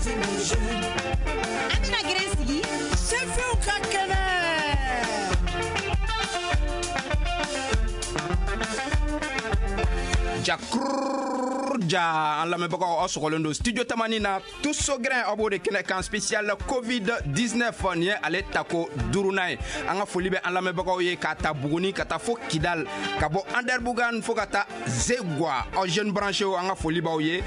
An bɛna gɛrɛn sigi Sefinw ka kɛnɛ. Ja an lamɛnbagaw, aw sɔgɔlen don studio Tamani na, Tous au grɛn, aw b'o de kɛnɛ kan, spécial Covid 19. Nin ye ale tako duurunan ye. An ka foli bɛ an lamɛnbagaw ye k'a ta Buguni ka taa fo Kidal, ka bɔ Anderbugan fo ka taa Zegwa. Aw jeune branché, an ka foli b'aw ye.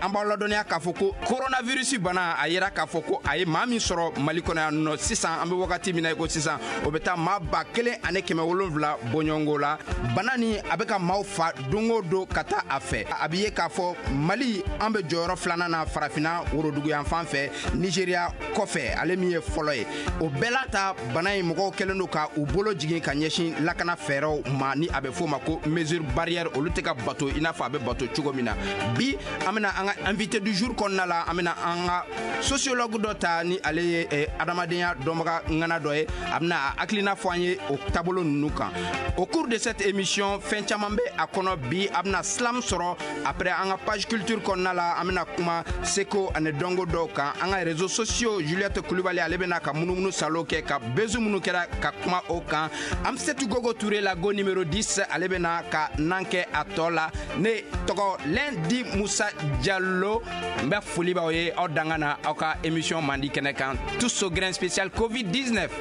An b'aw ladɔnniya k'a fɔ ko coronavirus bana, a yera k'a fɔ ko a ye maa min sɔrɔ Mali kɔnɔ yan nɔ sisan, an bɛ wagati min na i ko sisan, o bɛ taa maa 1700 bɔɲɔgɔnko la. Bana ni a bɛ ka maaw fa don o don ka taa a fɛ. A bɛ ye k'a fɔ Mali, an bɛ jɔyɔrɔ filanan na Farafinna woroduguyanfan fɛ, Nigéria kɔfɛ, ale min ye fɔlɔ ye. O bɛɛ la ta, bana in mɔgɔw kɛlen don ka u bolo jigin ka ɲɛsin lakana fɛɛrɛw ma, ni a bɛ f'o ma ko mesure barrière, olu tɛ ka bato i n'a fɔ a bɛ bato cogo min na. Bi, an bɛna an ka invité du jour kɔnɔna la, an bɛna an ka sociologue dɔ ta, ni ale ye adamadenya dɔnbaga ŋana dɔ ye. A bɛna a hakilina fɔ an ye o taabolo ninnu kan au cours de cette émission. Fɛn caman bɛ a kɔnɔ bi. A bɛna slam sɔrɔ. Après, an ka page culture kɔnɔna la, an bɛna kuma seko ani dɔnko dɔw kan. An ka réseaux sociaux, Juliette Kulibali, ale bɛna ka munumunu salo kɛ ka buzz minnu kɛra ka kuma o kan. Amsetu Gogo Touré, la go numéro 10, ale bɛna ka nan kɛ a tɔ la. Ne tɔgɔ Lundi Musa Diallo. N bɛ foli b'aw ye, aw danga na aw ka émission mandi kɛnɛ kan, Tous au grɛn spécial Covid 19.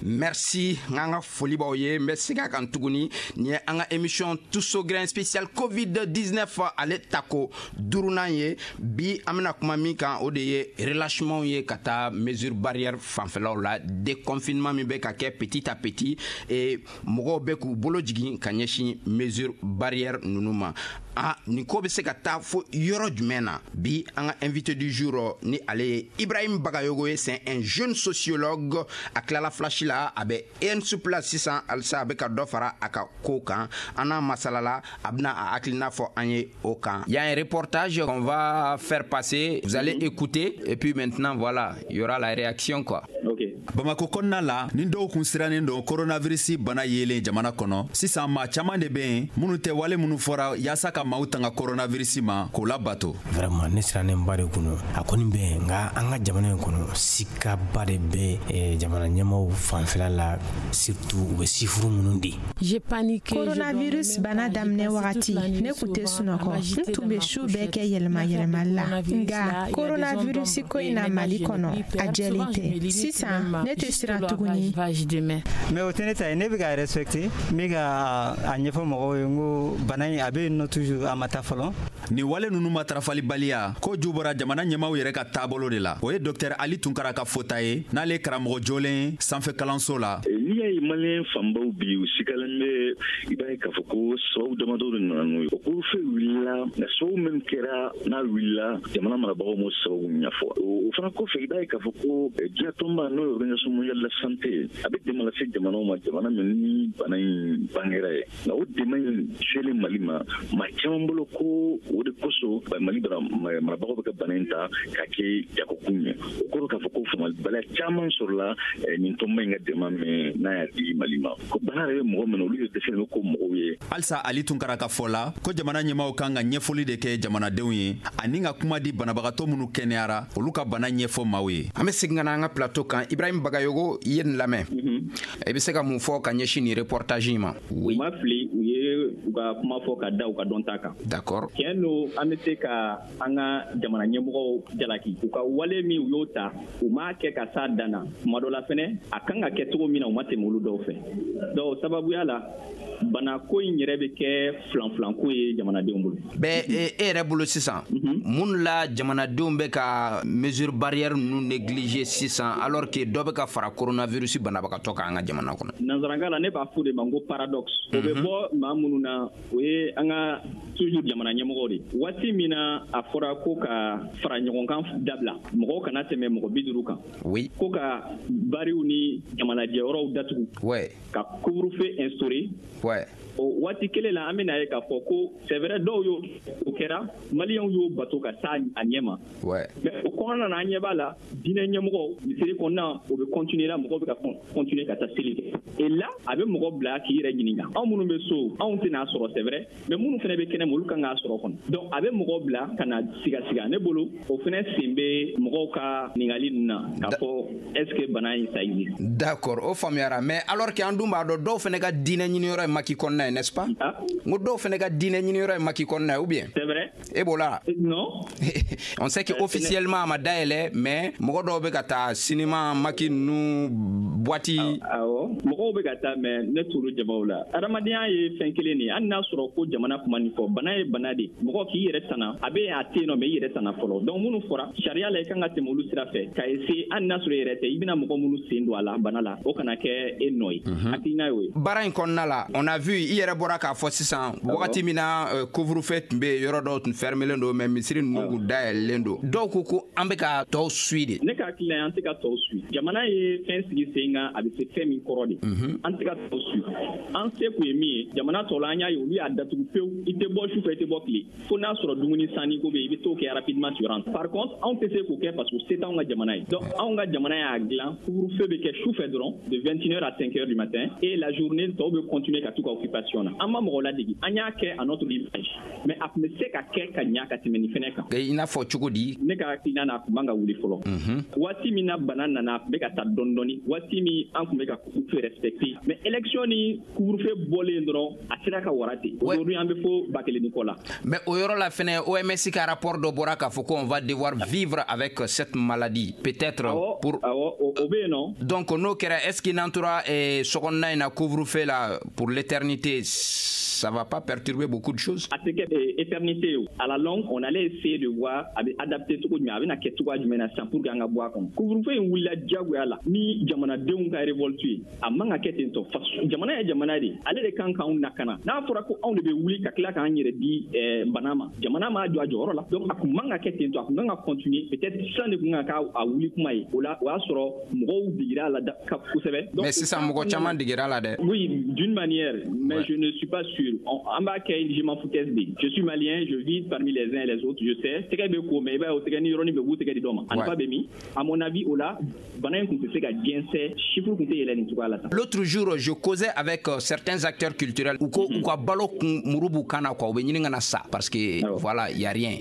Merci. N k'an ka foli b'aw ye. N bɛ segin a kan tuguni, nin ye an ka émission Tous au grɛn spécial Covid 19, ale tako duurunan ye. Bi, an bɛna kuma min kan, o de ye relâchement ye ka taa mesure barrière fanfɛlaw la, déconfinement min bɛ ka kɛ petit à petit, et mɔgɔw bɛ k'u bolo jigin ka ɲɛsin mesure barrière ninnu ma. A nin ko bɛ se ka taa fo yɔrɔ jumɛn na? Bi, an ka invité du jour, ni ale ye Ibrahim Bagayogo ye, c'est un jeune sociologue. A tilala flash la, a bɛ ENSUP la sisan. Halisa a bɛ ka dɔ fara a ka ko kan. An n'a masalala, a bɛna a hakilina fɔ an ye o kan. Il y a un reportage qu'on va faire passer, vous allez écouter et puis maintenant, voilà, il y aura la réaction, quoi. Ok. Bamako kɔnɔna la, ni dɔw kun sirannen don coronavirus bana yelen jamana kɔnɔ, sisan maa caman de bɛ yen minnu tɛ wale minnu fɔra yaasa ka maaw tanga coronavirus ma k'o labato. Vraiment, ne sirannenba de kun a kɔni bɛ yen, nka an ka jamana in kɔnɔ, sikaba de bɛ jamana ɲɛmaw fanfɛla la, surtout u bɛ chiffre minnu di. Coronavirus bana daminɛ wagati, ne kun tɛ sunɔgɔ, n tun bɛ su bɛɛ kɛ yɛlɛma yɛlɛmali la. Nka coronavirus ko in na Mali kɔnɔ, a jɛlen tɛ. Sisan ne tɛ siran tuguni. Mais o tɛ ne ta ye. Ne bɛ ka respecter, n bɛ ka a ɲɛfɔ mɔgɔw ye n ko bana in, a bɛ yen nɔ toujours, a ma taa fɔlɔ. Nin wale ninnu matarafalibaliya ko ju bɔra jamana ɲɛmaw yɛrɛ ka taabolo de la. O ye Dɔktɛr Ali Tunkara ka fɔta ye, n'ale ye karamɔgɔ jolen ye sanfɛ kalanso la. N'i y'a ye Maliyɛn fanbaw bi u sigalen bɛ, i b'a ye k'a fɔ ko sababu damadɔ de nana n'o ye. O couvre-feu wulila, nka sababu min kɛra n'a wulila, jamana marabagaw m'o sababu ɲɛfɔ. O fana kɔfɛ, i b'a ye k'a fɔ ko diɲɛ tɔnba, n'o ye Organisation mondiale de la santé, a bɛ dɛmɛ lase jamanaw ma, jamana min ni bana in bangera ye. Nka o dɛmɛ in selen Mali ma, maa caman bolo ko o de kosɔn Mali marabagaw bɛ ka bana in ta k'a kɛ jagokun ye. O kɔrɔ k'a fɔ ko faamuyalibaliya caman sɔrɔla nin tɔnba in ka dɛmɛ min n'a y'a di Mali ma, ko bana yɛrɛ bɛ mɔgɔ min na, olu de dɛsɛlen bɛ ko mɔgɔw ye. Halisa Ali Tunkara ka fɔ la ko jamana ɲɛmaw kan ka ɲɛfɔli de kɛ jamanadenw ye ani ka kuma di banabagatɔ minnu kɛnɛyara, olu ka bana ɲɛfɔ maaw ye. An bɛ segin ka na an ka plateau kan. Ibrahim Bagayogo, i ye nin lamɛn, i bɛ se ka mun fɔ ka ɲɛsin nin reportage in ma? U ma fili, u ye u ka kuma fɔ ka da u ka dɔnta kan. Tiɲɛ don, an bɛ se ka an ka jamana ɲɛmɔgɔw jalaki u ka wale min u y'o ta, u m'a kɛ ka s'a dan na. Tuma dɔ la fɛnɛ, a kan ka kɛ cogo min na, u ma tɛmɛ olu dɔw fɛ. Donc sababuya la, bana ko in yɛrɛ bɛ kɛ filanfilanko ye jamanadenw bolo. Bɛɛ e yɛrɛ bolo sisan, mun la jamanadenw bɛ ka mesure barrière ninnu négliger sisan, alors que dɔ bɛ ka fara coronavirus banabagatɔ kan an ka jamana kɔnɔ? Nanzarankan la, ne b'a fɔ de ma ko paradoxe. O bɛ bɔ maa minnu na, o ye an ka toujours jamana ɲɛmɔgɔw de. Waati min na a fɔra ko ka fara ɲɔgɔn kan dabila, mɔgɔw kana tɛmɛ mɔgɔ 50 kan, ko ka bariw ni jamanajɛyɔrɔw datugu, ka couvre-feu instauré, o waati kelen la, an bɛna ye k'a fɔ ko c'est vrai, dɔw y'o o kɛra, Maliyɛnw y'o bato ka taa a ɲɛ ma. Mais o kɔnɔna na, an ɲɛ b'a la, diinɛ ɲɛmɔgɔw, misiri kɔnɔna, o bɛ continuer la, mɔgɔw bɛ ka continuer ka taa seli kɛ. Et là, a bɛ mɔgɔ bila k'i yɛrɛ ɲininka: anw minnu bɛ so, Anw tɛna sɔrɔ, c'est vrai, mais minnu fana bɛ kɛnɛma, olu kan k'a sɔrɔ kɔnɔ. Donc a bɛ mɔgɔw bila ka na siga siga. Ne bolo, o fana sen bɛ mɔgɔw ka ɲininkali ninnu na k'a fɔ est ce que bana in, ça existe. D'accord, o faamuyara. Mais alors que an dun b'a dɔn, dɔw fana ka diinɛ ɲiniyɔrɔ ye maki kɔnɔna ye, n'est-ce pas? N ko dɔw fana ka diinɛ ɲiniyɔrɔ ye maki kɔnɔna ye, ou bien? C'est vrai. E b'o la? Non. On sait que officiellement a ma dayɛlɛ, mais mɔgɔ dɔw bɛ ka taa cinéma, maki ninnu, boîte. Awɔ, mɔgɔw bɛ ka taa, mais ne t'olu jamaw la. Adamadenya ye fɛn kelen de ye. Hali n'a sɔrɔ ko jamana kuma nin fɔ, bana ye bana de. Mɔgɔ k'i yɛrɛ tana, a bɛ a tɛ yen nɔ, mais i yɛrɛ tana fɔlɔ. Donc minnu fɔra sariya la, i kan ka tɛmɛ olu sira fɛ ka essayer, hali n'a sɔrɔ i yɛrɛ tɛ, i bɛna mɔgɔ minnu sen don a la bana la, o kana kɛ e nɔ ye. Hakilina y'o ye. Baara in kɔnɔna la, on a vu, i yɛrɛ bɔra k'a fɔ sisan, wagati min na couvre-feu tun bɛ yen, yɔrɔ dɔw tun fermelen don, mais misiri ninnu kun dayɛlɛlen don. Dɔw ko ko an bɛ ka tɔw suit de. Ne ka hakilina ye, an tɛ ka tɔw suit. Jamana ye fɛn sigi sen kan, a bɛ se fɛn min kɔrɔ de, an tɛ ka tɔw suit. An se kun ye min ye, jamana tɔw la, an y'a ye, olu y'a datugu pewu. I tɛ bɔ sufɛ, i tɛ bɔ tile, fo n'a sɔrɔ dumuni sanni ko bɛ yen, i bɛ t'o kɛ rapidement, tu rentres. Par contre, anw tɛ se k'o kɛ parce que se t'anw ka jamana ye. Donc anw ka jamana y'a dilan, couvre-feu bɛ kɛ sufɛ dɔrɔn, de 21h à 5h du matin, et la journée, tɔw bɛ continuer ka t'u ka occupation na. An ma mɔgɔ ladegi, an y'a kɛ à notre image, mais a tun bɛ se ka kɛ ka ɲa ka tɛmɛ nin fɛnɛ kan. I n'a fɔ cogo di? Ne ka hakilina na, a tun man ka wuli fɔlɔ. Waati min na bana nana, a tun bɛ ka taa dɔɔni dɔɔni, waati min an tun bɛ ka couvre-feu respecter. Mais élection ni couvre-feu bɔlen dɔrɔn, a sera ka wara ten. Aujourd'hui, an bɛ fo 1000 ni kɔ la. Mais o yɔrɔ la fɛnɛ, OMS ka rapport dɔ bɔra k'a fɔ ko on va devoir vivre avec cette maladie peut-être pour Awɔ, o bɛ yen nɔ. Donc n'o kɛra, est-ce que n'an tora sokɔnɔna in na, couvre-feu la, pour l'éternité, ça va pas perturber beaucoup de choses? A tɛ kɛ éternité ye. À la longue, on allait essayer de voir a bɛ adapter cogo jumɛn, a bɛna kɛ cogoya jumɛn na sisan pour que an ka bɔ a kɔnɔ. Couvre-feu in wulila diyagoya la ni jamanadenw ka révolte ye. A man ka kɛ ten tɔ. Jamana ye jamana de ye, ale de kan k'anw lakana. N'a fɔra ko anw de bɛ wuli ka tila k'an yɛrɛ di bana ma, jamana m'a jɔ a jɔyɔrɔ la. Donc a kun man ka kɛ ten tɔ, a kun kan ka continuer peut-être. Sisan de kun kan ka a wuli kuma ye o la, o y'a sɔrɔ mɔgɔw digira a la kosɛbɛ. Mais sisan mɔgɔ caman digira la dɛ. Oui, d'une manière, mais je ne suis pas sûr. An b'a kɛ je m'en foutaise de. Je suis malien, je vis parmi les uns et les autres, je sais. Tɛgɛ bɛ ko, mais i b'a ye, o tɛgɛ ni yɔrɔnin bɛ, u b'u tɛgɛ di dɔ ma. A nafa bɛ min? À mon avis, o la, bana in kun tɛ se ka jɛnsɛn, chiffre kun tɛ yɛlɛ nin cogoya la tan. L'autre jour, je causais avec certains acteurs culturels, u ko u ka balo kun muru b'u kan na quoi, u bɛ ɲini ka na sa parce que voilà, il y a rien.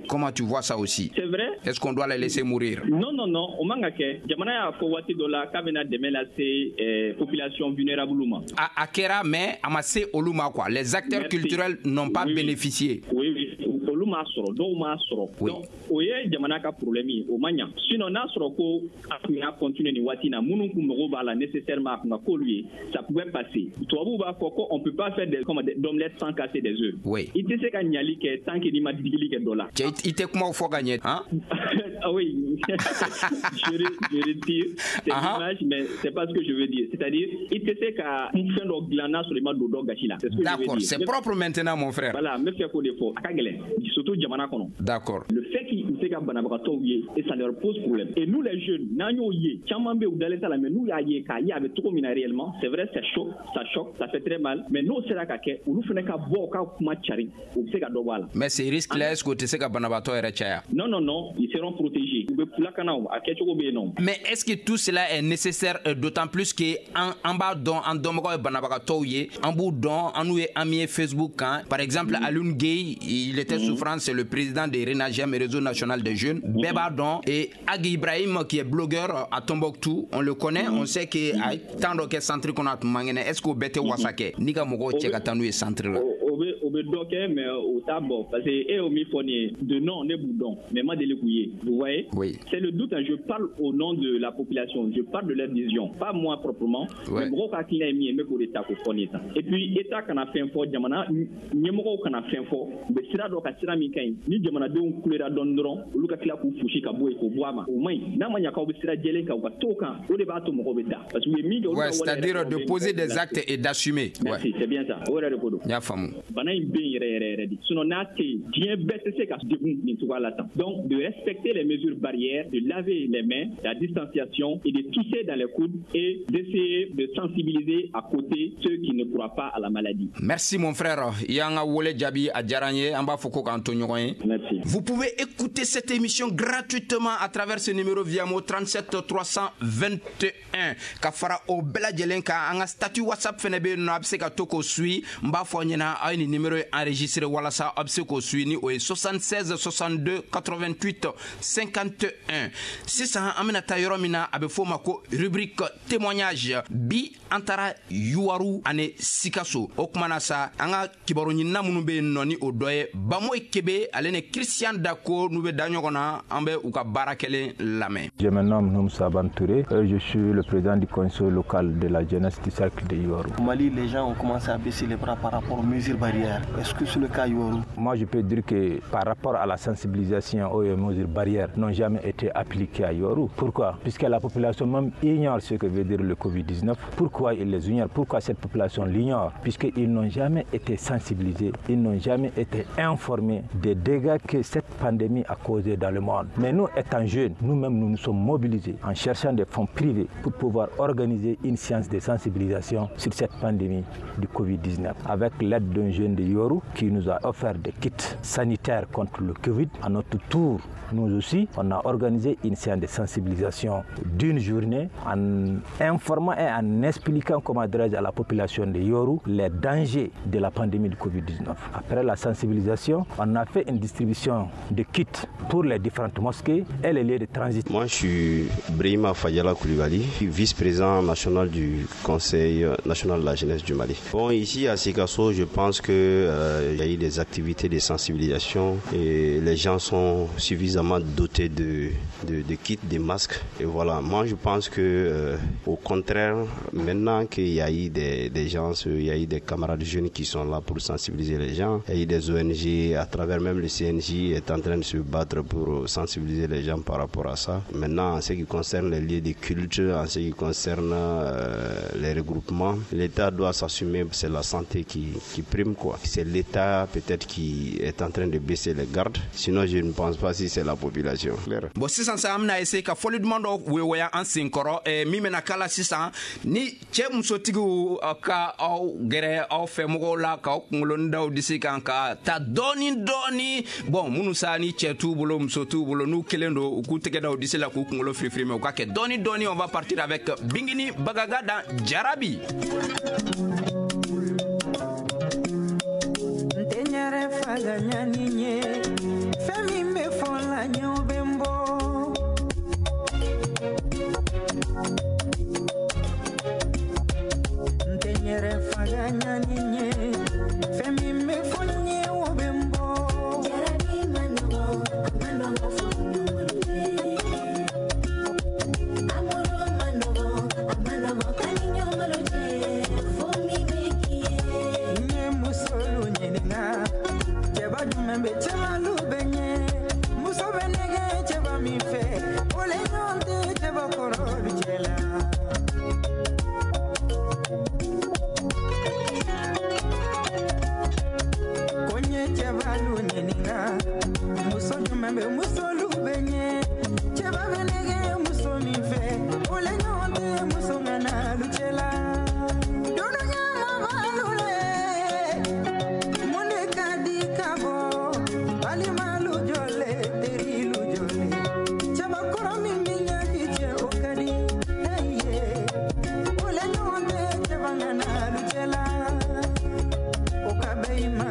Comment tu vois ça aussi? C'est vrai. Est-ce qu'on doit les laisser mourir? Non, non, non, o man ka kɛ. Jamana y'a fɔ waati dɔ la k'a bɛna dɛmɛ lase population vulnérable ma. A kɛra, mais a ma se olu ma quoi. Les acteurs culturels n'ont pas bénéficié. Oui, olu m'a sɔrɔ, dɔw m'a sɔrɔ. Donc o ye jamana ka problème ye, o ma ɲa. Sinon n'a sɔrɔ ko a tun y'a continuer nin waati in na, minnu kun mago b'a la nécessairement, a kun ka k'olu ye, ça pouvait passer. Tubabuw b'a fɔ ko on peut pas faire des comme d'omelette sans casser des œufs. I tɛ se ka ɲali kɛ tant que n'i ma digili kɛ dɔ la. Cɛ, i tɛ kumaw fɔ ka ɲɛ han. Ah oui, je retire cette image, mais c'est pas ce que je veux dire. C'est-à-dire, i tɛ se ka fɛn dɔ dilan n'a sɔrɔ i ma don dɔ gasi la. C'est ce que je veux D'accord, dire. C'est propre maintenant, mon frère. Voilà, n bɛ fɛ k'o de fɔ. A ka gɛlɛn, surtout jamana kɔnɔ. Le fait qu'ils se ka banabagatɔw ye, et ça leur pose problème. Et nous les jeunes, n'an y'o ye, caman bɛ yen, u dalen t'a la, mais n'u y'a ye, k'a ye a bɛ cogo min na réellement, c'est vrai, c'est chaud, ça choque, ça fait très mal, mais n'o sera ka kɛ, olu fana ka bɔ u ka kuma cari, u bɛ se ka dɔ bɔ a la. Mais ces risques-là, est-ce que o tɛ se ka banabaatɔ yɛrɛ caya? Non, non, non, ils seront protégés. U bɛ lakana o, a kɛcogo bɛ yen nɔ. Mais est-ce que tout cela est nécessaire, d'autant plus que an b'a dɔn, an dɔnbagaw ye banabagatɔw ye, an b'u dɔn, an n'u ye ami ye Facebook kan. Par exemple, Alioune Gueye, il était souffrant, c'est le président de RENAGEM, Réseau National des Jeunes. Bɛɛ b'a dɔn. Et Ag Ibrahim, qui est blogueur à Tombouctou, on le connaît, on sait que a ye temps dɔ kɛ centre kɔnɔ, a tun man kɛnɛ. Est-ce que o bɛɛ tɛ wasa kɛ n'i ka mɔgɔw cɛ ka taa n'u ye centre la? O bɛ dɔ kɛ, mais o t'a bɔ, parce que e y'o min fɔ nin ye, de nom, ne b'u dɔn, mais ma deli k'u ye. Vous voyez? Oui. C'est le doute, hein. Je parle au nom de la population, je parle de leur vision, pas moi proprement. Mais mɔgɔw ka hakilina ye min ye, n bɛ k'o de ta k'o fɔ nin ye tan. Et puis État kana fɛn fɔ, jamana ɲɛmɔgɔw kana fɛn fɔ, u bɛ sira dɔ ka sira min ka ɲi. Ni jamanadenw kulera dɔɔni dɔrɔn, olu ka tila k'u fosi ka bɔ yen, k'o bɔ a ma, o man ɲi. N'a ma ɲɛ k'aw bɛ sira jɛlen kan, u ka t'o kan, o de b'a to mɔgɔw bɛ da. Parce que u ye min kɛ, olu ka Ouais, waleya yɛrɛ c'est-à-dire de bɛ poser mɔgɔw des bila. actes et d'assumer. Merci, c'est bien ça. O yɛrɛ de ko don. N y'a faamu. Bana in bɛ yen yɛrɛ yɛrɛ yɛrɛ de. Sinon n'a tɛ yen, diɲɛ bɛɛ tɛ se ka degun nin cogoya la tan. Donc de respecter les mesures barrières, de laver les mains, la distanciation et de tousser dans les coudes et d'essayer de sensibiliser à côté ceux qui ne croient pas à la maladie. Merci mon frère. I y'an ka wele jaabi, a diyara n ye. An b'a fɔ ko k'an to ɲɔgɔn ye. Merci. Vous pouvez écouter cette émission gratuitement à travers ce numéro Viamo 37 321. Ka fara o bɛɛ lajɛlen kan, an ka statut WhatsApp fɛnɛ bɛ yen nɔ, a bɛ se ka to k'o suit. N b'a fɔ aw ɲɛna, aw ye nin numéro enregistré walasa aw bɛ se k'o suit, ni o ye 76 62 88 51. Sisan an bɛna taa yɔrɔ min na, a bɛ f'o ma ko rubrique témoignage. Bi an taara Youwarou ani Sikaso. O kuma na sa, an ka kibaru ɲinina minnu bɛ yen nɔ, ni o dɔ ye Bamoyi Kebe ale ni Christian Dako, n'u bɛ da ɲɔgɔn na, an bɛ u ka baara kɛlen lamɛn. Je me nomme Noum Saban Touré, je suis le président du conseil local de la jeunesse du cercle de Youwarou. Au Mali, les gens ont commencé à baisser les bras par rapport aux mesures barrières. Est-ce que c'est le cas à Youwarou? Moi, je peux dire que par rapport à la sensibilisation aux mesures barrières n'ont jamais été appliquées à Youwarou. Pourquoi? Puisque la population même ignore ce que veut dire le Covid-19. Pourquoi ils les ignorent? Pourquoi cette population l'ignore? Puisqu'ils n'ont jamais été sensibilisés, ils n'ont jamais été informés des dégâts que cette pandémie a causés dans le monde. Mais nous, étant jeunes, nous-mêmes, nous nous sommes mobilisés en cherchant des fonds privés pour pouvoir organiser une séance de sensibilisation sur cette pandémie du Covid-19. Avec l'aide d'un jeune de Youwarou qui nous a offert des kits sanitaires contre le Covid, à notre tour, nous aussi, on a organisé une séance de sensibilisation d'une journée en informant et en expliquant, comment dirais-je, à la population de Youwarou les dangers de la pandémie du Covid-19. Après la sensibilisation, on a fait une distribution de kits pour les différentes mosquées et les lieux de transit. Moi, je suis Brahima Fadiala Koulibaly, vice-président national du Conseil national de la jeunesse du Mali. Bon, ici à Sikasso, je pense qu'il y a eu des activités de sensibilisation et les gens sont suffisamment dotés de kits, de masques. Et voilà, moi je pense que au contraire, maintenant qu'il y a eu des gens, il y a eu des camarades jeunes qui sont là pour sensibiliser les gens, il y a eu des ONG, à travers même le CNJ est en train de se battre pour sensibiliser les gens par rapport à ça. Maintenant, en ce qui concerne les lieux de culte, en ce qui concerne les regroupements, l'État doit s'assumer, c'est la santé qui prime, quoi. C'est l'État peut-être qui est en train de baisser les gardes, sinon je ne pense pas si c'est la population. Bon, sisan sa, an bɛna essayer ka fɔli duman dɔ weweya an sen kɔrɔ min bɛna k'a la sisan, ni cɛ musotigiw ka aw gɛrɛ aw fɛ mɔgɔw la k'aw kunkolo daw disi kan ka ta dɔɔni dɔɔni. Bon, minnu sa ni cɛ t'u bolo, muso t'u bolo, n'u kelen don, u k'u tɛgɛ da u disi la k'u kunkolo firifiri, mais u ka kɛ dɔɔni dɔɔni. On va partir avec Bingini Bagaga dans Jarabi. N tɛ n yɛrɛ faga ɲani ye, fɛn min bɛ fɔ la ɲɛw bɛ n bɔ. N tɛ n yɛrɛ faga ɲani ye, fɛn min bɛ fɔ n ye o bɛ n bɔ. Jarabi ma nɔgɔ, a ma nɔgɔ fo ɲɔgɔn ye. Amoro ma nɔgɔ, a ma nɔgɔ ka ni ɲɔgɔn cɛ, fo min bɛ k'i ye. N ye musolu ɲininka, cɛba jumɛn bɛ cɛmalu bɛ ɲɛ? Muso bɛ nɛgɛ cɛba min fɛ, o le ɲɔgɔn tɛ cɛba kɔrɔlu cɛ la. Ko n ye cɛbalu ɲininka, muso jumɛn bɛ musolu bɛ ɲɛ? Cɛba bɛ nɛgɛ muso min fɛ, o le ɲɔgɔn tɛ muso ŋanalu cɛ la. Dunuya mabalu le, mun de ka di ka bɔ? Balimalu jɔle, terilu jɔle, cɛbakɔrɔ min bɛ ɲaji cɛ o ka di, ye, o le ɲɔgɔn tɛ cɛba ŋanalu cɛ la. O ka bɛn i ma,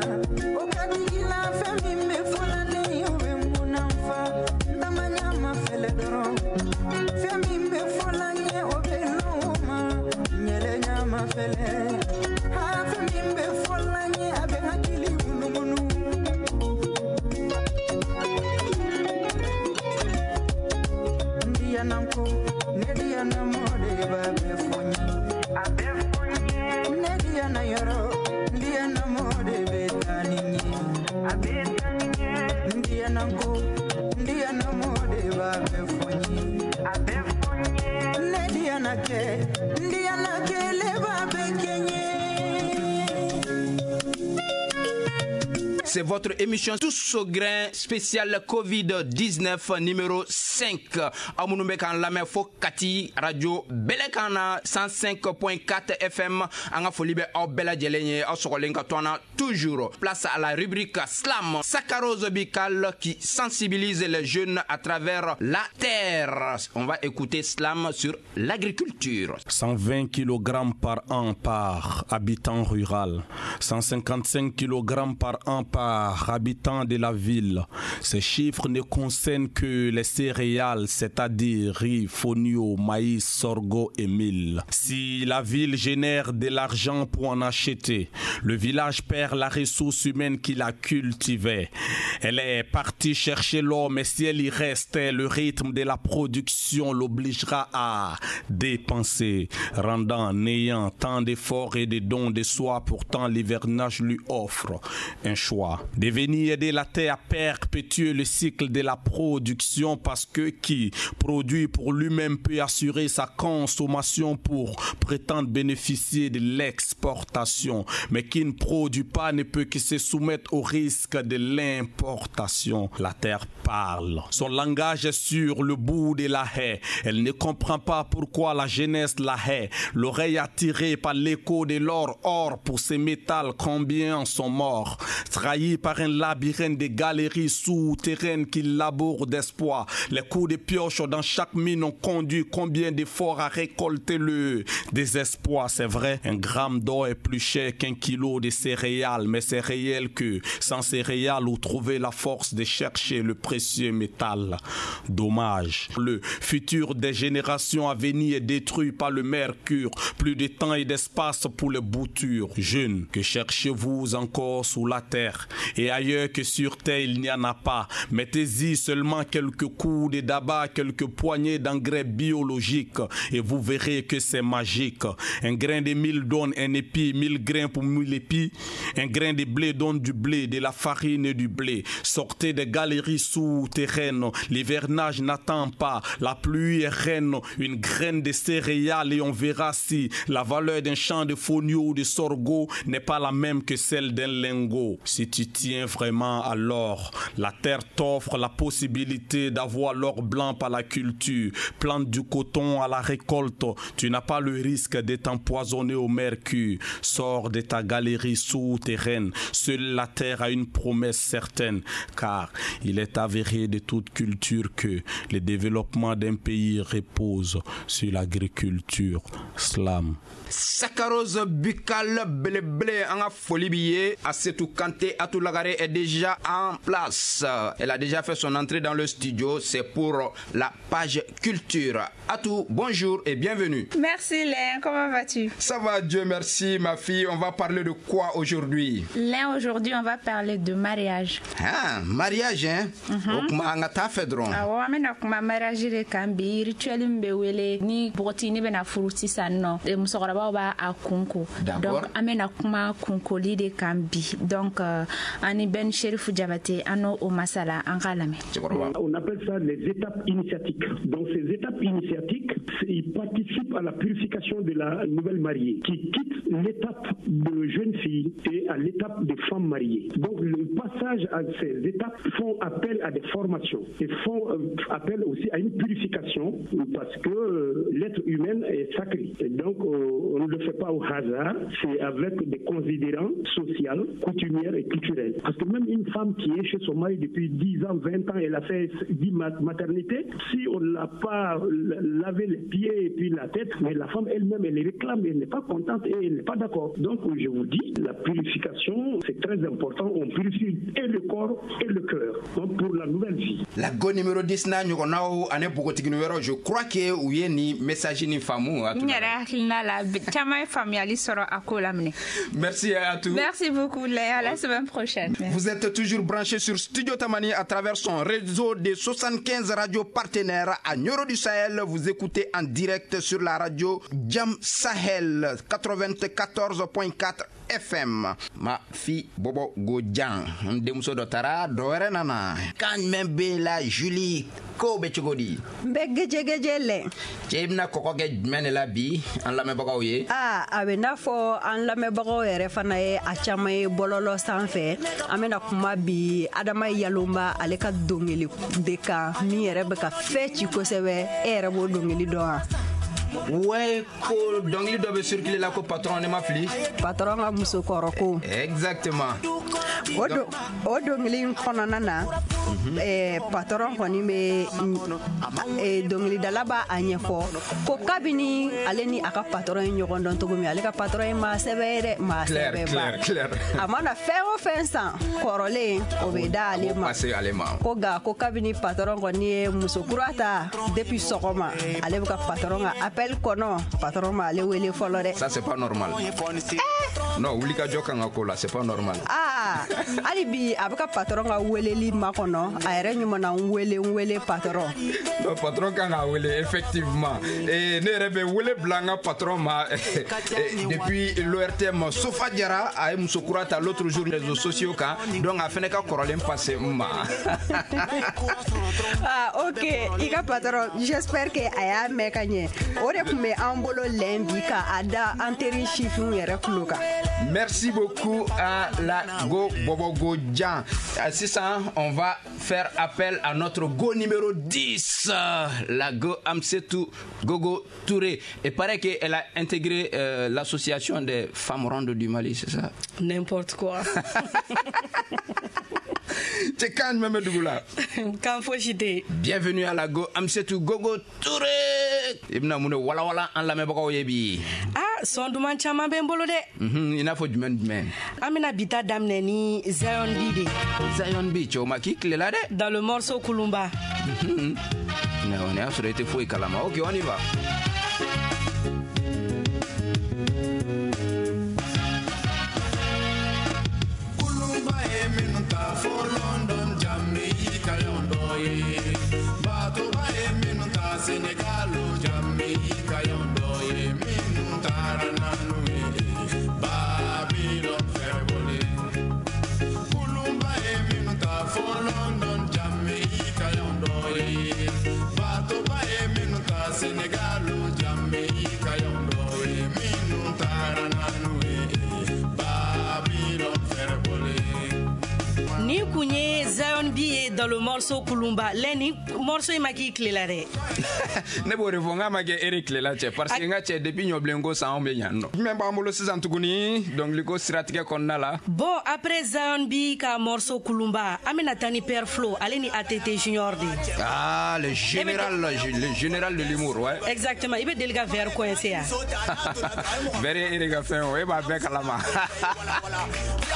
o ka digi la, fɛn min bɛ fɔ la ne ye o bɛ mun na fa? N taama ma fɛlɛ dɔrɔn, fɛn min bɛ fɔ la n ye o bɛ lɔn o ma, ɲɛlɛ ɲama fɛlɛ. Ha, fɛn min bɛ fɔ la n ye a bɛ hakili munumunu. N diyana ko, ne diyana mɔ de b'a bɛɛ fɔ n ye. A bɛɛ fɔ n ye. Ne diyana yɔrɔ, n diyana mɔ de bɛ taa ni n ye. A bɛ taa ni n ye. N diyana ko, n diyana mɔ de b'a bɛɛ fɔ n ye. A bɛɛ fɔ n ye. Ne diyana kɛ, n diyana kɛ, le b'a bɛɛ kɛ n ye. C'est votre émission Tous au grain spécial Covid-19 numéro 5. Aw minnu bɛ k'an lamɛn fo Kati, radio Bɛlɛkan na 105.4 FM. An ka foli bɛ aw bɛɛ lajɛlen ye, aw sɔgɔlen ka to an na toujours. Place à la rubrique Slam, Saccharose Bical qui sensibilise les jeunes à travers la terre. On va écouter Slam sur l'agriculture. 120 kg par an par habitant rural, 155 kg par an par habitant de la ville. Ces chiffres ne concernent que les céréales, c'est-à-dire riz, fonio, maïs, sorgho et mil. Si la ville génère de l'argent pour en acheter, le village perd la ressource humaine qu'il a cultivée. Elle est partie chercher l'or, mais si elle y restait, le rythme de la production l'obligera à dépenser, rendant néant tant d'efforts et de dons de soi. Pourtant, l'hivernage lui offre un choix. De venir aider la terre à perpétuer le cycle de la production, parce que qui produit pour lui-même peut assurer sa consommation pour prétendre bénéficier de l'exportation, mais qui ne produit pas ne peut que se soumettre au risque de l'importation. La terre parle. Son langage est sur le bout de la haie. Elle ne comprend pas pourquoi la jeunesse la hait. L'oreille attirée par l'écho de l'or, or pour ces métals, combien en sont morts. Trahis par un labyrinthe de galeries souterraines qui labourent d'espoir. Les coups de pioche dans chaque mine ont conduit combien d'efforts à récolter le désespoir. C'est vrai, un gramme d'or est plus cher qu'un kilo de céréales, mais c'est réel que sans céréales, où trouver la force de chercher le précieux métal. Dommage. Le futur des générations à venir est détruit par le mercure. Plus de temps et d'espace pour les boutures. Jeunes, que cherchez-vous encore sous la terre? Et ailleurs que sur terre, il n'y en a pas. Mettez-y seulement quelques coups de tabac, quelques poignées d'engrais biologiques, et vous verrez que c'est magique. Un grain de mil donne un épi, 1000 grains pour 1000 épis. Un grain de blé donne du blé, de la farine et du blé. Sortez des galeries souterraines, l'hivernage n'attend pas. La pluie est reine, une graine de céréales et on verra si la valeur d'un champ de fonio ou de sorgho n'est pas la même que celle d'un lingot. Si tu tiens vraiment à l'or, la terre t'offre la possibilité d'avoir l'or blanc par la culture. Plante du coton à la récolte, tu n'as pas le risque d'être empoisonné au mercure. Sors de ta galerie souterraine, seule la terre a une promesse certaine, car il est avéré de toute culture que le développement d'un pays repose sur l'agriculture. Slam. Saccharose buccale belebele, an ka foli b'i ye. Asetou Kanté Atoulagare est déjà en place. Elle a déjà fait son entrée dans le studio. C'est pour la page culture. Atou, bonjour et bienvenue. Merci Léon, comment vas-tu? Ça va, Dieu merci ma fille. On va parler de quoi aujourd'hui? Léon, aujourd'hui on va parler de mariage. Ah, mariage hein? O kuma an ka taa fɛ dɔrɔn. Awɔ, an bɛna kuma mariage de kan bi. Rituel min bɛ wele ni npogotigini bɛna furu sisan nɔ, musokɔrɔbaw b'a a kunko. Donc an bɛna kuma kunkoli de kan bi. Donc an ni Ben Sherifu Jabate an n'o o masala, an k'a lamɛn. On appelle ça les étapes initiatiques. Donc ces étapes initiatiques, ils participent à la purification de la nouvelle mariée qui quitte l'étape de jeune fille et à l'étape de femme mariée. Donc le passage à ces étapes font appel à des formations et font appel aussi à une purification parce que l'être humain est sacré. Et donc on ne le fait pas au hasard, c'est avec des considérants sociaux, coutumiers et culturels. Parce que même une femme qui est chez son mari depuis 10 ans, 20 ans, elle a fait 10 maternités, si on ne l'a pas lavé les pieds et puis la tête, mais la femme elle-même, elle réclame, elle n'est pas contente et elle n'est pas d'accord. Donc je vous dis, la purification, c'est très important. On purifie et le corps et le cœur. Donc pour la nouvelle vie. La go numéro 10 na ɲɔgɔnnaw ani npogotigini wɛrɛw, je crois que u ye nin message nin faamu. N yɛrɛ hakilina la, caman ye faamuyali sɔrɔ a ko la minɛ. Merci à tous. Merci beaucoup Léa, à la semaine prochaine. Vous êtes toujours branchés sur Studio Tamani à travers son réseau de 75 radios partenaires à Nioro du Sahel. Vous écoutez en direct sur la radio Jam Sahel 94.4 FM. Ma fille Bobo Gojan, n denmuso dɔ taara, dɔ wɛrɛ nana. Kan jumɛn bɛ la Julie, ko bɛ cogo di? N bɛ gejegeje lɛ. Cɛ, i bɛna kɔgɔ kɛ jumɛn de la bi an lamɛnbagaw ye? Aa, a bɛ n'a fɔ an lamɛnbagaw yɛrɛ fana ye a caman ye bɔlɔlɔ sanfɛ. An bɛna kuma bi Adama Yalomba ale ka dɔnkili de kan, min yɛrɛ bɛ ka fɛn ci kosɛbɛ. E yɛrɛ b'o dɔnkili dɔn wa? Ouais, ko dɔnkili dɔ bɛ circuler la ko patron, ne ma fili. Patron ka musokɔrɔ ko. Exactement. O dɔnkili in kɔnɔna na, patron kɔni bɛ dɔnkilidala b'a a ɲɛfɔ ko kabini ale ni a ka patron ye ɲɔgɔn dɔn cogo min, ale ka patron ye maa sɛbɛ ye dɛ, maa sɛbɛba. A mana fɛn o fɛn san kɔrɔlen, o bɛ da ale ma. Ale ma. Ko nka ko kabini patron kɔni ye muso kura ta, depuis sɔgɔma ale bɛ ka patron ka appel kɔnɔ, patron ma ale wele fɔlɔ dɛ. Ça, c'est pas normal. Non, wulikajɔ kan ka k'o la, c'est pas normal. Aa, hali bi a bɛ ka patron ka weleli makɔnɔ, a yɛrɛ ɲuman na n wele, n wele patron. Non, patron kan ka wele effectivement. Et ne yɛrɛ bɛ wele bila n ka patron ma depuis l'ORTM, Sofa Jara, a ye muso kura ta l'autre jour réseaux sociaux kan, donc a fɛnɛ ka kɔrɔlen passé n ma. Ah ok, i ka patron, j'espère que a y'a mɛn ka ɲɛ. O de tun bɛ an bolo lɛn bi ka a da an teri sifinw yɛrɛ tulo kan. Merci beaucoup à la Go Bobo Go Jan. Sisan, on va faire appel à notre Go numéro 10, la Go Amsetou Gogo Touré. Et paraît qu'elle a intégré l'association des femmes rondes du Mali, c'est ça? N'importe quoi. C'est quand même dugu la. Kan fosi tɛ. Bienvenue à la Go Amsetou Gogo Touré. I bɛna mun de walawala an lamɛnbagaw ye bi? Ah, son duman caman bɛ n bolo dɛ. I n'a fɔ jumɛn jumɛn? An bɛna bi ta daminɛ ni Zion B de. Zion B, cɛw ma k'i tilela dɛ. Dans le morceau Kulumba. Ne y'a sɔrɔ i tɛ foyi kalama. Ok, on y va. Kulumba ye minnu ta fo London, Jamaica y'anw dɔ ye. Batoba ye minnu ta Senegal, Jamaica y'anw dɔ ye. Minnu taara n'anu ye Babylon fɛrɛbɔlen. Kulumba ye minnu ta fo London, Jamaica y'anw dɔ ye. Batoba ye minnu ta Senegal, Jamaica y'anw dɔ ye. Minnu taara n'anu ye Babylon fɛrɛbɔlen. Ni kun ye Zion B ye dans le morceau Kulumba. Lɛni, morceau in ma k'i tilela dɛ. Ne b'o de fɔ n k'a ma kɛ e de tilela cɛ, parce que n ka cɛ, depuis ɲɔbilenko san, anw bɛ yan nɔ. Jumɛn b'an bolo sisan tuguni dɔnkiliko siratigɛ kɔnɔna la? Bon, après Zion B ka morceau Kulumba, an bɛna taa ni Père Flo ale ni ATT Junior de. Ah, le général, le général de l'humour, ouais. Exactement, i bɛ deli ka verre coincé yan. Verre ye e de ka fɛn o, e b'a bɛɛ kalama.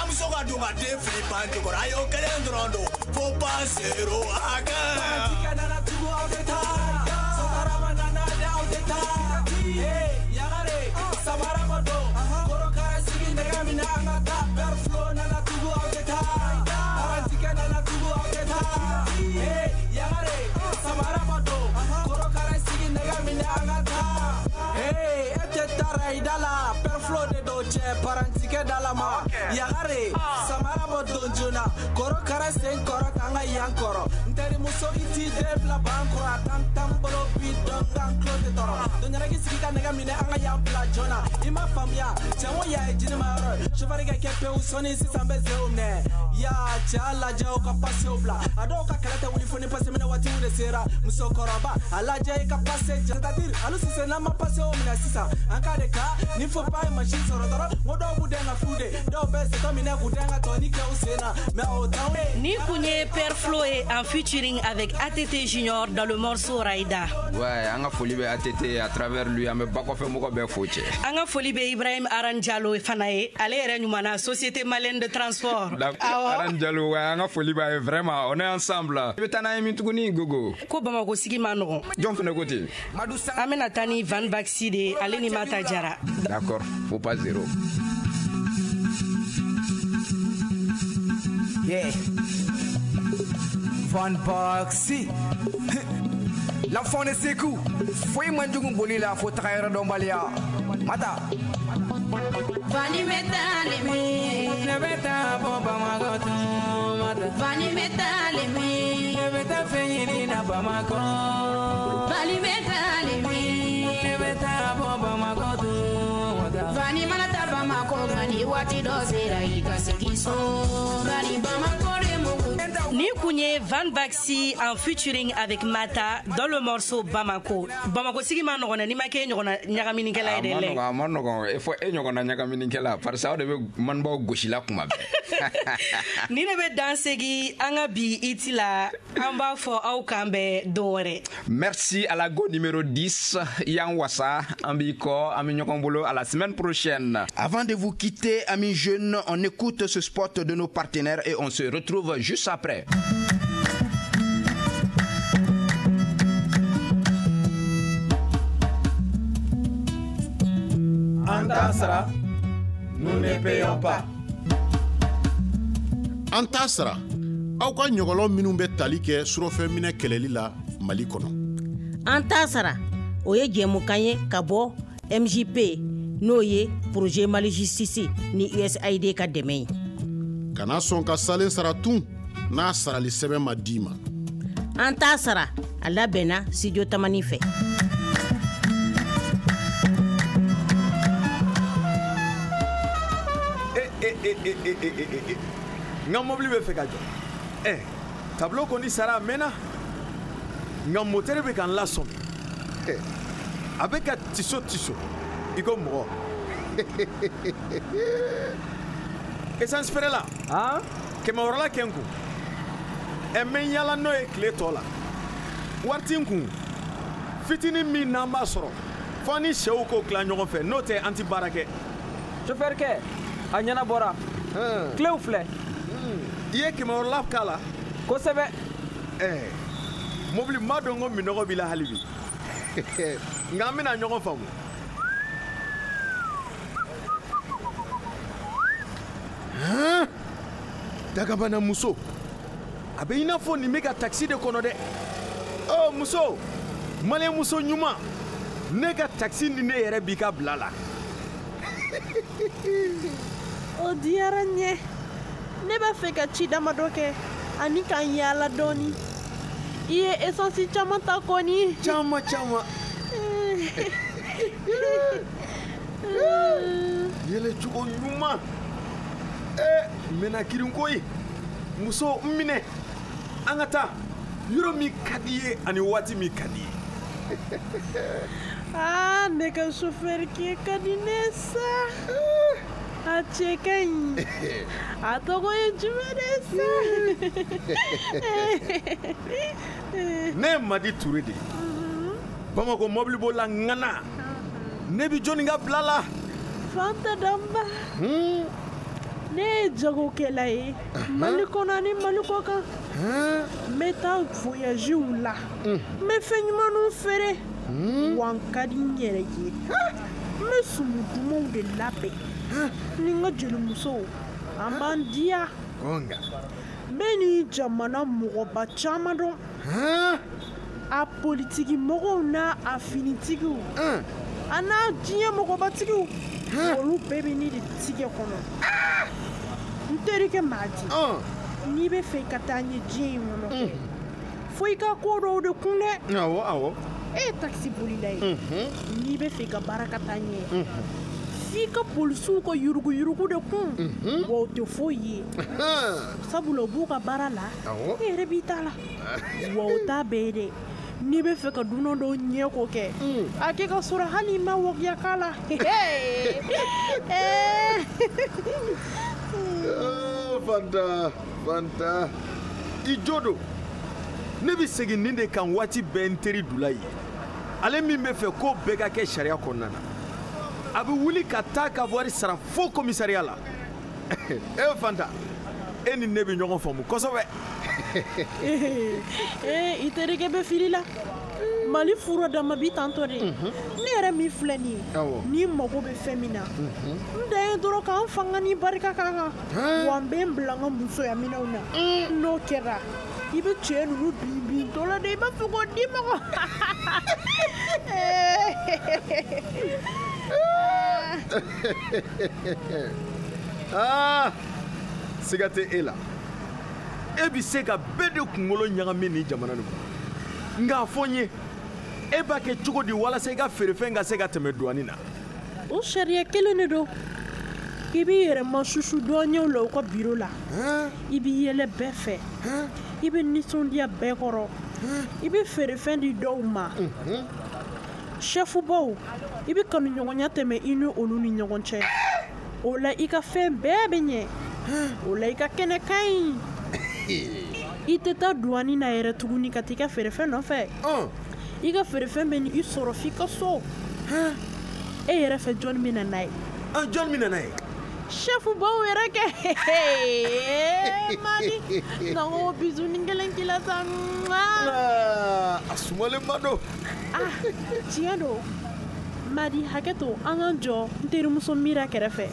Muso ka don ka den fili pan jukɔrɔ, a y'o kelen dɔrɔn don fo pan zero a kɛ. Parantikɛ nana tugu, aw tɛ taa. Sotarama nana dɛ, aw tɛ taa. Yagare samara ma don korokara sigi nɛgɛ minɛ, an ka taa. Père Flo nana tugu, aw tɛ taa. Parantikɛ nana tugu, aw tɛ taa. Yagare samara ma don korokara sigi nɛgɛ minɛ, an ka taa. E tɛ taa rayida la, Père Flo de don cɛ parantikɛ da la ma. Yagare samara bɔ don joona korokara sen kɔrɔ k'an ka yan kɔrɔ. N terimuso, i t'i den bila ban kɔrɔ, a tan tan bolo bi dɔn k'an tulo tɛ tɔɔrɔ. Donɲɛrɛki sigi ka nɛgɛ minɛ, an ka yan bila joona. I ma faamuya cɛ, n ko yan ye jinima yɔrɔ ye. Sofɛri ka kɛ pewu, sɔnni sisan bɛ zew minɛ ya. Cɛ, a lajɛ o ka pasew bila, a dɔw ka kɛlɛ tɛ wuli fo ni pase minɛ waatiw de sera. Musokɔrɔba, a lajɛ i ka pase, c'est-à-dire alu sisan n'an ma pasew minɛ sisan, an ka de ka ni fo pa ye machine sɔrɔ dɔrɔn, n ko dɔw b'u den ka fu de, dɔw bɛ setɔ minɛ k'u den ka tɔni kɛ u sen na, mais o t'anw ye. Ni kun ye Père Flo ye en featuring avec ATT Junior dans le morceau Raida. Ouais, an ka foli bɛ ATT, à travers lui an bɛ bakɔfɛ mɔgɔ bɛɛ fo cɛ. An ka foli bɛ Ibrahim Aran Jalo fana ye, ale yɛrɛ ɲuman na Société Malienne de Transport. Aran Jalo, ouais, an ka foli b'a ye vraiment, on est ensemble. I bɛ taa n'an ye min tuguni Gogo? Ko Bamakɔ sigi ma nɔgɔn. Jɔn fana ko ten? An bɛna taa ni Van Baxi de ye, ale ni Mata Jara. D'accord, faut pas zéro. Yeah. Van Baxi. L'enfant de Sekou, foyi man jugu boli la fo taga yɔrɔ dɔnbaliya. Mata. Fani bɛ taa lemi. Ne bɛ taa bɔ Bamakɔ tun, Mata. Fani bɛ taa lemi. Ne bɛ taa fɛn ɲini na Bamakɔ. Fani bɛ taa lemi. Ne bɛ taa bɔ Bamakɔ tun, Mata. Fani mana taa Bamakɔ nka ni waati dɔ sera i ka segin so. Bari Bamakɔ de mugu. Ni kun ye Van Baxi en featuring avec Mata dans le morceau Bamako. Bamako sigi ma nɔgɔn dɛ, n'i ma kɛ e ɲɔgɔnna ɲagaminikɛla ye dɛ. A ma nɔgɔn, a ma nɔgɔn. Fo e ɲɔgɔnna ɲagaminikɛla parce que aw de bɛ manibaw gosi la kuma bɛɛ. Ni ne bɛ dan segi an ka bi iti la, an b'a fɔ aw kan bɛn don wɛrɛ. Merci à la go numéro 10, Yann Wassa, an b'i kɔ, an bɛ ɲɔgɔn bolo à la semaine prochaine. Avant de vous quitter, amis jeunes, on écoute ce spot de nos partenaires et on se retrouve juste après. An t'a sara, nous ne payons pas. An t'a sara, aw ka ɲɔgɔlɔn minnu bɛ tali kɛ surɔfɛnminɛ kɛlɛli la Mali kɔnɔ. An t'a sara, o ye jɛmukan ye ka bɔ MJP, n'o ye projet Mali Justice ni USAID ka dɛmɛ ye. Kana sɔn ka salen sara tun n'a sarali sɛbɛn ma d'i ma. An t'a sara, a labɛnna Studio Tamani fɛ. N ka mobili bɛ fɛ ka jɔ. Ɛ, tableau kɔni sara a mɛnna, nka moteur bɛ ka n lasɔmi. A bɛ ka tiso tiso i ko mɔgɔ. Essence feerela, 500 la kɛ n kun. Ɛ, n bɛ n yaala n'o ye tile tɔ la. Wari ti n kun. Fitinin min n'an b'a sɔrɔ, fo ni sɛw k'o tila ɲɔgɔn fɛ, n'o tɛ an ti baara kɛ. Chauffeur kɛ, a ɲɛnabɔra. Kilew filɛ. I ye 500 la k'a la? Kosɛbɛ. Ɛɛ, mobili ma dɔn ko minɔgɔ b'i la hali bi. Nka an bɛna ɲɔgɔn faamu. Dagabana muso, a bɛ i n'a fɔ nin bɛ ka takisi de kɔnɔ dɛ. Ɔ muso, maliyɛn muso ɲuman, ne ka takisi ni ne yɛrɛ b'i ka bila la. O diyara n ye. Ne b'a fɛ ka ci damadɔ kɛ ani ka n yaala dɔɔni. I ye esansi caman ta kɔni. Caman caman. Yɛlɛcogo ɲuman. N bɛna kirin koyi. Muso, n minɛ. An ka taa yɔrɔ min ka di i ye ani waati min ka di i ye. Aa, ne ka chauffeur kɛ ka di ne sa. A cɛ ka ɲi. A tɔgɔ ye jumɛn de sa? Ne ye Madi Ture de ye. Bamakɔ mɔbilibolila ŋana. Ne bi jɔnni ka bila la? Fanta Danba. Ne ye jagokɛla ye Mali kɔnɔ ani Mali kɔ kan. N bɛ taa voyagew la. N bɛ fɛn ɲumanw feere. Wa n ka di n yɛrɛ ye. N bɛ sumu dumanw de labɛn. Ni n ka jelimusow, an b'an diya. N bɛ nin jamana mɔgɔba caman dɔn. A politiki mɔgɔw n'a a finitigiw. A n'a diɲɛ mɔgɔbatigiw. Olu bɛɛ bɛ ne de tigɛ kɔnɔ. N terikɛ Madi, n'i bɛ fɛ ka taa ɲɛ diɲɛ in kɔnɔ, fo i ka ko dɔw de kun dɛ. Awɔ, awɔ. E ye takisi bolila ye. N'i bɛ fɛ i ka baara ka taa ɲɛ, f'i ka polisiw ka yuruguyurugu de kun. Wa o tɛ foyi ye. Sabula u b'u ka baara la, e yɛrɛ b'i ta la. Wa o t'a bɛɛ ye dɛ. N'i bɛ fɛ ka dunan dɔw ɲɛ ko kɛ, a kɛ ka sɔrɔ hali i ma wakiya k'a la. Fanta, Fanta, i jo don. Ne bɛ segin nin de kan waati bɛɛ n teri Dula ye. Ale min bɛ fɛ ko bɛɛ ka kɛ sariya kɔnɔna na. A bɛ wuli ka taa ka wari sara fo commissariat la. E Fanta, e ni ne bɛ ɲɔgɔn faamu kosɛbɛ. Ee, i terikɛ bɛ fili la. Mali fura dama bi tantɔ de. Ne yɛrɛ min filɛ nin ye, n'i mago bɛ fɛn min na, n dan ye dɔrɔn k'an fanga ni barika k'a kan. Wa n bɛ n bila n ka musoya minɛnw na. N'o kɛra, I bɛ cɛ ninnu bin bin tɔ la de, i b'a fɔ ko di mɔgɔ. Aa, siga tɛ e la, e bɛ se ka bɛɛ de kunkolo ɲagami nin jamana nin kɔnɔ. Nka a fɔ n ye, e b'a kɛ cogo di walasa i ka feerefɛn ka se ka tɛmɛ duwani na? O sariya kelen de don. I b'i yɛrɛ masusu douaniers la u ka biro la. I b'i yɛlɛ bɛɛ fɛ, i bɛ nisɔndiya bɛɛ kɔrɔ, i bɛ feerefɛn di dɔw ma. Sɛfubaw, i bɛ kanuɲɔgɔnya tɛmɛ i ni olu ni ɲɔgɔn cɛ. O la i ka fɛn bɛɛ bɛ ɲɛ. O la i ka kɛnɛ ka ɲi. I tɛ taa duwani na yɛrɛ tuguni ka t'i ka feerefɛn nɔfɛ. I ka feerefɛn bɛ ni i sɔrɔ f'i ka so. E yɛrɛ fɛ, jɔnni bɛ na n'a ye? Jɔnni bɛ na n'a ye? Sɛfubaw yɛrɛ kɛ. Madi, na ko bisou kelen k'i la sa. A sumalenba don. Ah, tiɲɛ don. Madi, hakɛ to, an k'an jɔ n terimuso Mira kɛrɛfɛ.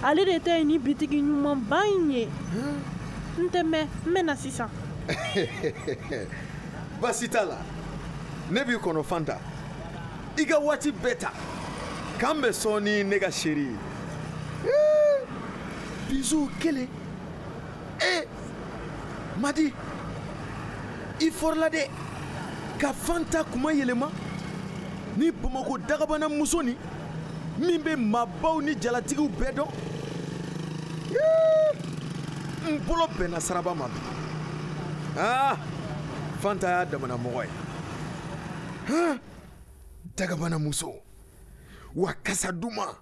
Ale de ta ye ni bitigi ɲumanba in ye. N tɛ mɛn, n bɛ na sisan. Baasi t'a la, ne b'i kɔnɔ Fanta. I ka waati bɛɛ ta. K'an bɛ sɔɔni, ne ka chérie. Bisou kelen. E Madi, i fɔrɔla dɛ ka Fanta kuma yɛlɛma ni Bamakɔ dagabana muso nin min bɛ maabaw ni jalatigiw bɛɛ dɔn. N bolo bɛnna saraba ma bi. Aa, Fanta y'a damana mɔgɔ ye. Han, dagabana muso wa kasa duman.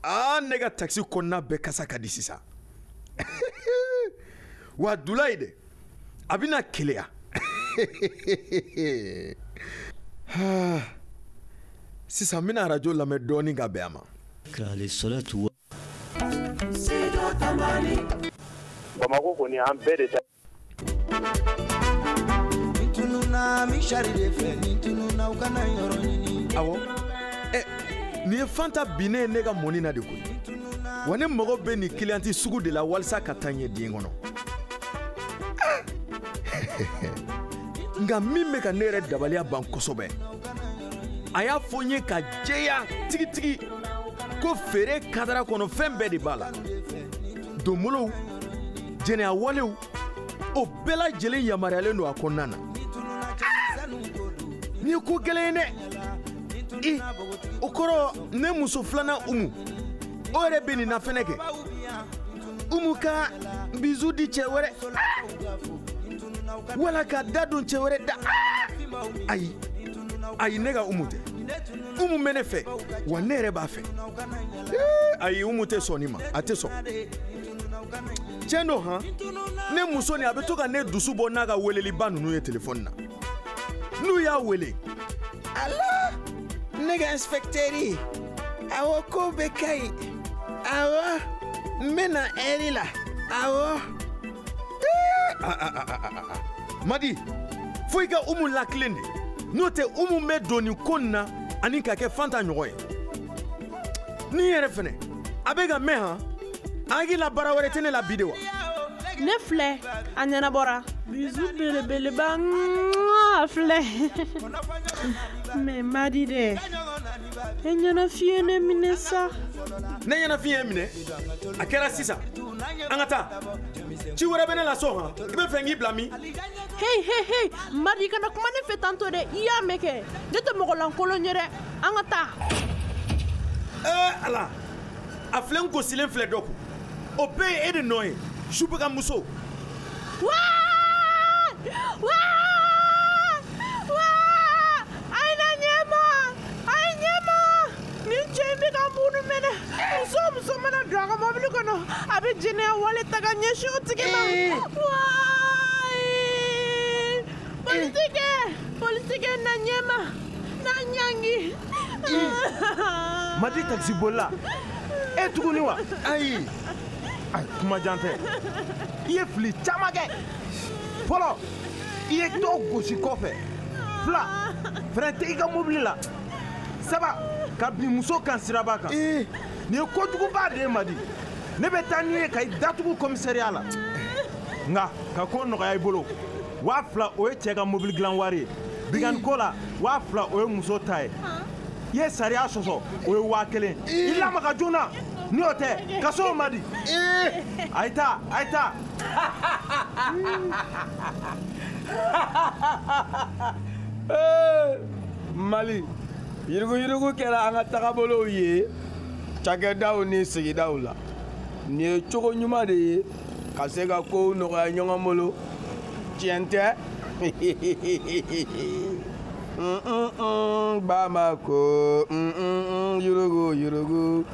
Aa, ne ka takisi kɔnɔna bɛɛ kasa ka di sisan. Wa Dulayi dɛ, a bɛna keleya. Sisan n bɛna arajo lamɛn dɔɔnin ka bɛn a ma. Bamakɔ kɔni, an bɛɛ de ta. Ni tununa misari de fɛ, ni tununa u kana yɔrɔ ɲini. Awɔ, ɛ, nin ye Fanta binnen ye ne ka mɔni na de koyi. Wa ne mago bɛ nin kiliyanti sugu de la walasa ka taa ɲɛ diɲɛ kɔnɔ. Nka min bɛ ka ne yɛrɛ dabaliya ban kosɛbɛ, a y'a fɔ n ye ka jɛya tigitigi ko feere kadara kɔnɔ fɛn bɛɛ de b'a la. Donbolow, jɛnɛya walew, o bɛɛ lajɛlen yamaruyalen don a kɔnɔna na. Nin ye ko gɛlɛn ye dɛ. I, o kɔrɔ ne muso filanan Umu, o yɛrɛ bɛ nin na fɛnɛ kɛ. Umu ka bizu di cɛ wɛrɛ, wala ka da don cɛ wɛrɛ da. Ayi ayi, ne ka Umu tɛ. Umu bɛ ne fɛ, wa ne yɛrɛ b'a fɛ. Ayi, Umu tɛ sɔn nin ma, a tɛ sɔn. Tiɲɛ don han, ne muso nin, a bɛ to ka ne dusu bɔ n'a ka weleliba ninnu ye telefɔni na. N'u y'a wele: Allo, ne ka inspecteur, awɔ, ko bɛɛ ka ɲi. Awɔ, n bɛ na ɛri la. Awɔ. Madi, fo i ka Umu lakilen de, n'o tɛ Umu bɛ don nin ko nin na ani ka kɛ Fanta ɲɔgɔn ye. Ni yɛrɛ fɛnɛ, a bɛ ka mɛn han, a hakili la baara wɛrɛ tɛ ne la bi de wa? Ne filɛ, a ɲɛnabɔra. Bisou belebeleba, a filɛ. Mais Madi dɛ, e ɲɛnafin ye ne minɛ sa. Ne ɲɛnafin ye minɛ? A kɛra sisan. An ka taa. Ci wɛrɛ bɛ ne la so han, i bɛ fɛ n k'i bila min? Hey hey hey, Madi, kana kuma ne fɛ tantɔ dɛ, i y'a mɛn kɛ. Ne tɛ mɔgɔ lankolon ye dɛ. An ka taa. Ee Ala, a filɛ, n gosilen filɛ dɔ kun. O bɛɛ ye e de nɔ ye, subaga muso. Waa! Waa! Waa! A ye na ɲɛma! A ye ɲɛma! Nin cɛ in bɛ ka mun minɛ? Muso o muso mana don a ka mɔbili kɔnɔ, a bɛ jɛnɛya wale ta ka ɲɛsin o tigi ma. Waa! Polisikɛ! Polisikɛ, na ɲɛma! Na ɲangi! Madi taxi bolila. E tuguni wa? Ayi. Ayi, kuma jan tɛ. I ye fili caman kɛ. Fɔlɔ, i ye dɔw gosi kɔfɛ. Fila, frein tɛ i ka mobili la. Saba, ka bin muso kan siraba kan. Nin ye kojuguba de ye Madi. Ne bɛ taa n'i ye ka i datugu commissariat la. Nka ka ko nɔgɔya i bolo. 2000, o ye cɛ ka mobili dilan wari ye. Binkanni ko la, 2000, o ye muso ta ye. I ye sariya sɔsɔ, o ye 1000. I lamaga joona, ni o tɛ, kaso man di. A ye taa, a ye taa. Ee, Mali, yuruguyurugu kɛra an ka tagabolow ye cakɛdaw ni sigidaw la. Nin ye cogo ɲuman de ye ka se ka kow nɔgɔya ɲɔgɔn bolo, tiɲɛ tɛ? Bamako, yurugu yurugu.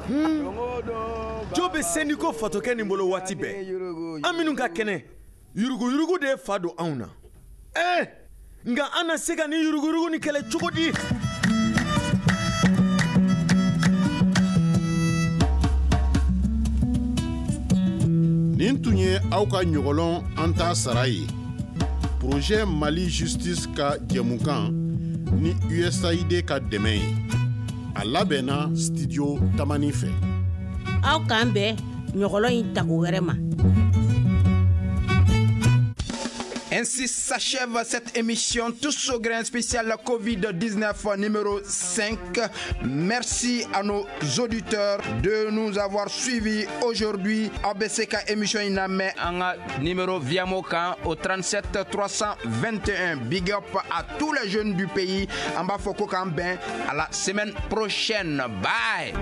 Jo bɛ sendiko fatɔkɛ nin bolo waati bɛɛ. An minnu ka kɛnɛ, yuruguyurugu de ye fa don anw na. Ɛɛ, nka an na se ka nin yuruguyurugu nin kɛlɛ cogo di? Nin tun ye aw ka ɲɔgɔlɔn an t'a sara ye, Projet Mali Justice ka jɛmukan ni USAID ka dɛmɛ ye. A labɛnna Studio Tamani fɛ. Aw k'an bɛn ɲɔgɔlɔn in tako wɛrɛ ma. Ainsi s'achève cette émission Tous au grain spécial Covid-19 numéro 5. Merci à nos auditeurs de nous avoir suivis aujourd'hui. ABCK émission in an ka numéro Viamo kan au 37 321. Big up à tous les jeunes du pays. An b'a fɔ ko k'an bɛn à la semaine prochaine. Bye.